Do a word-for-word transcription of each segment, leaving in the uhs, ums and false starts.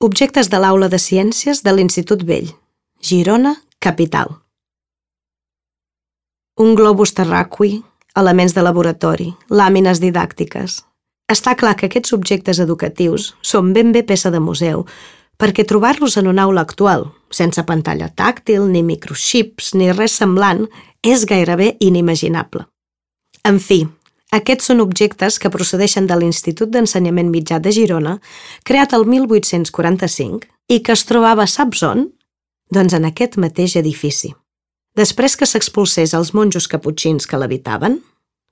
Objectes de l'Aula de Ciències de l'Institut Vell. Girona, capital. Un globus terraqüi, elements de laboratori, làmines didàctiques. Està clar que aquests objectes educatius són ben bé peça de museu, perquè trobar-los en una aula actual, sense pantalla tàctil, ni microxips, ni res semblant, és gairebé inimaginable. En fi, aquests són objectes que procedeixen de l'Institut d'Ensenyament Mitjà de Girona, creat el mil vuit-cents quaranta-cinc i que es trobava, saps on? Doncs en aquest mateix edifici. Després que s'expulsés els monjos caputxins que l'habitaven,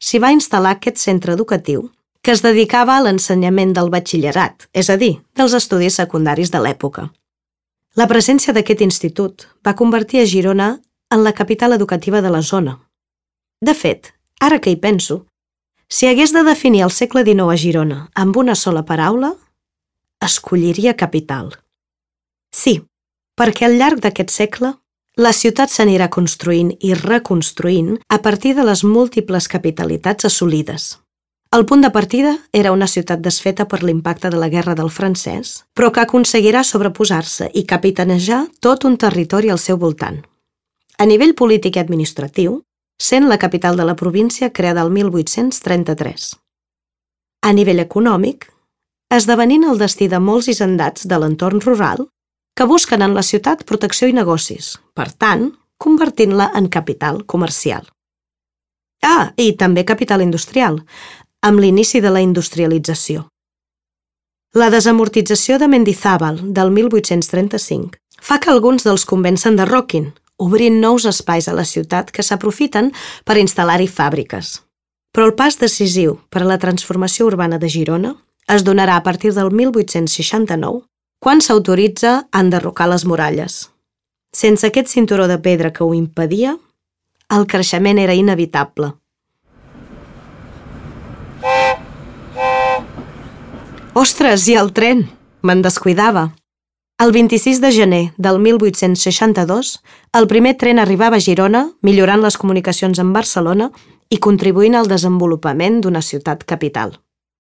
s'hi va instal·lar aquest centre educatiu que es dedicava a l'ensenyament del batxillerat, és a dir, dels estudis secundaris de l'època. La presència d'aquest institut va convertir a Girona en la capital educativa de la zona. De fet, ara que hi penso, si hagués de definir el segle dinou a Girona amb una sola paraula, escolliria capital. Sí, perquè al llarg d'aquest segle, la ciutat s'anirà construint i reconstruint a partir de les múltiples capitalitats assolides. El punt de partida era una ciutat desfeta per l'impacte de la Guerra del Francès, però que aconseguirà sobreposar-se i capitanejar tot un territori al seu voltant. A nivell polític i administratiu, sent la capital de la província creada el mil vuit-cents trenta-tres. A nivell econòmic, esdevenint el destí de molts hisendats de l'entorn rural que busquen en la ciutat protecció i negocis, per tant, convertint-la en capital comercial. Ah, i també capital industrial, amb l'inici de la industrialització. La desamortització de Mendizábal del mil vuit-cents trenta-cinc fa que alguns dels convencen de Rockin, obrint nous espais a la ciutat que s'aprofiten per instal·lar-hi fàbriques. Però el pas decisiu per a la transformació urbana de Girona es donarà a partir del mil vuit-cents seixanta-nou, quan s'autoritza a enderrocar les muralles. Sense aquest cinturó de pedra que ho impedia, el creixement era inevitable. Ostres, i el tren! Me'n descuidava. El vint-i-sis de gener del mil vuit-cents seixanta-dos, el primer tren arribava a Girona, millorant les comunicacions amb Barcelona i contribuint al desenvolupament d'una ciutat capital.